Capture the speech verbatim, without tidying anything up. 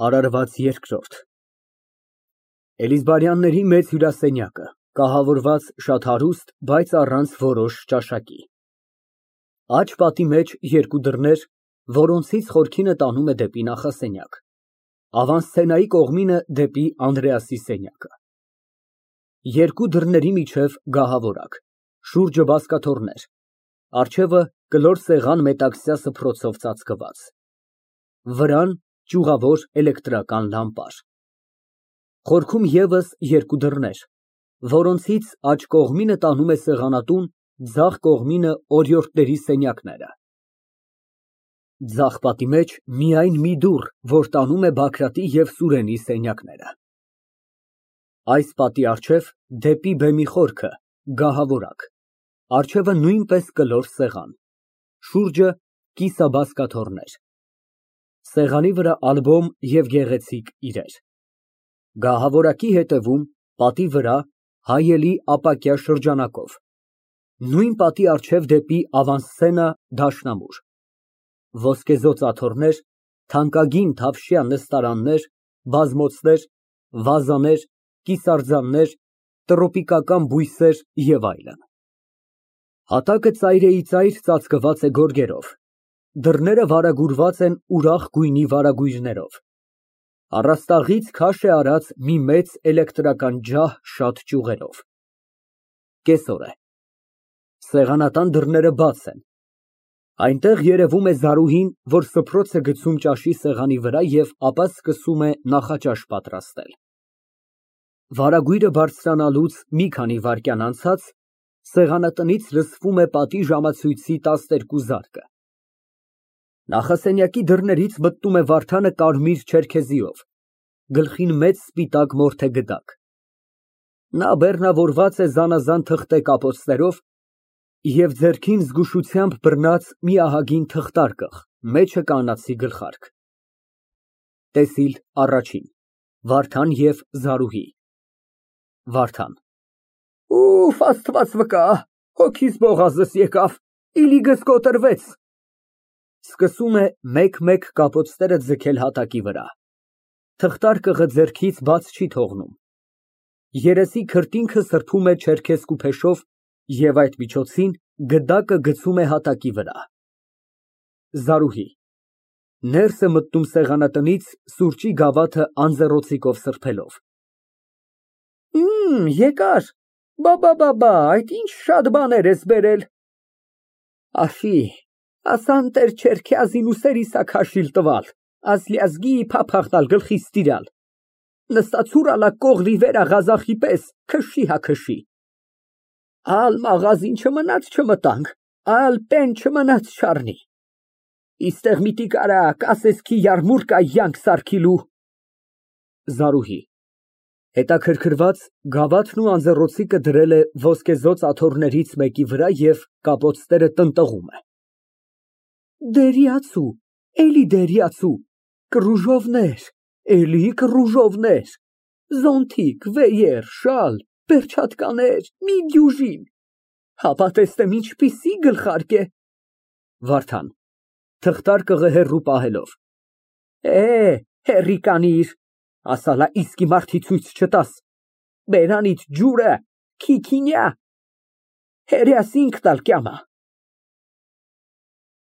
ԱՐԱՐՎԱԾ ԵՐԿՐՈՐԴ Էլիզբարյանների մեծ հյուրասենյակը, կահավորված շատ հարուստ, բայց առանց որոշ ճաշակի։ Աջ պատի մեջ երկու դռներ, որոնցից խորքինը տանում է դեպի նախասենյակ, ավանսցենայի կողմինը դեպի Անդրեասի սենյակը։ Երկու դռների միջև գահավորակ, շուրջը բազկաթոռներ, առջևը կլոր սեղան մետաքսյա սփռոցով ծածկված, վրան ճյուղավոր էլեկտրական լամպար։ Խորքում ևս երկու դռներ, որոնցից աջ կողմինը տանում է սեղանատուն, ձախ կողմինը օրիորդների սենյակները։ Ձախ պատի մեջ միայն մի դուռ, որ տանում է Բագրատի և Սուրենի սենյակները։ Այս պատի առջև դեպի բեմի խորքը, գահավորակ, առջևը նույնպես կլոր սեղան, շուրջը կիսաբազկաթոռներ, սեղանի վրա ալբոմ և գեղեցիկ իրեր։ Գահավորակի հետևում, պատի վրա, հայելի ապակյա շրջանակով, նույն պատի առջև դեպի ավանսցենա դաշնամուր, ոսկեզօծ աթոռներ, թանկագին թավշյա նստարաններ, բազմոցներ, վազաներ, կիսարձաններ, տրոպիկական բույսեր և այլն։ Հատակը ծայրիծայր ծածկված է գորգերով, դռները վարագուրված են ուրախ գույնի վարագույրներով, առաստաղից քաշ է արած մի մեծ էլեկտրական ջահ շատ ճյուղերով։ Կեսօր է, սեղանատան դռները բաց են, այնտեղ երևում է Զարուհին, որ սփռոց է գցում ճաշի սեղանի վրա և ապա սկսում է նախաճաշ պատրաստել։ Վարագույրը բարձրանալուց մի քանի վայրկյան անցած, սեղանատնից լսվում է պատի ժամացույցի տասներկու զարկը։ Նախասենյակի դռներից մտնում է Վարդանը կարմիր չերքեզիով, գլխին մեծ սպիտակ մորթե գդակ։ Նա բեռնավորված է զանազան թղթե կապոցներով և ձեռքին զգուշությամբ բռնած մի ահագին թղթարկղ, մեջը կանացի գլխարկ։ ՏԵՍԻԼ ԱՌԱՋԻՆ ՎԱՐԴԱՆ և ԶԱՐՈՒՀԻ ՎԱՐԴԱՆ Ուֆ, Աստված վկա, հոգիս բողազս եկավ, իլիգս կոտրվեց։ Սկսում է մեկ֊մեկ կապոցները ձգել հատակի վրա, թղթարկղը ձեռքից բաց չի թողնում, երեսի քրտինքը սրբում է չերքեզկու փեշով և այդ միջոցին գդակը գցում է հատակի վրա։ ԶԱՐՈՒՀԻ ֊ Ներս է մտնում սեղանատնից սուրճի գավաթը անձեռնոցիկով սրբելով։ Եկար, բա, այդ ինչ շատ բաներ ես բերել։ Աշի, ասան տեր չերքեզին ուսերիսա քաշիլ տվալ, ասլիազգի փափախնալ գլխիս տիրալ։ Նստացուրալա կողլի վերա Ղազախի պես, քշի հա քշի։ Ալ մաղազին չմնաց չմտանք, ալ պեն չմնաց չառնի։ Իստեղ միտիկ արա կասեսքի յարմուրկա յանք սարքիլու։ ԶԱՐՈՒՀԻ ֊ Հետաքրքրված, գավաթն ու անձեռնոցիկը դրել է ոսկեզօծ աթոռներից մեկի վրա և կապոցները տնտղում է։ Դերիացու, էլի դերիացու, կռուժովներ, էլի կռուժովներ, զոնթիկ, վեյեր, շալ, պերչաթկաներ, մի դյուժին, հապա տեսնեմ ինչպիսի գլխարկ է։ ՎԱՐԴԱՆ ֊ Թղթարկղը հեռու պահելով Է, հեռի կանիր, ասալա իսկի մարդի ցույց չտաս, բերանիդ ջուրը, քիքինյա, հեարյաս ինքն ալ կյամա։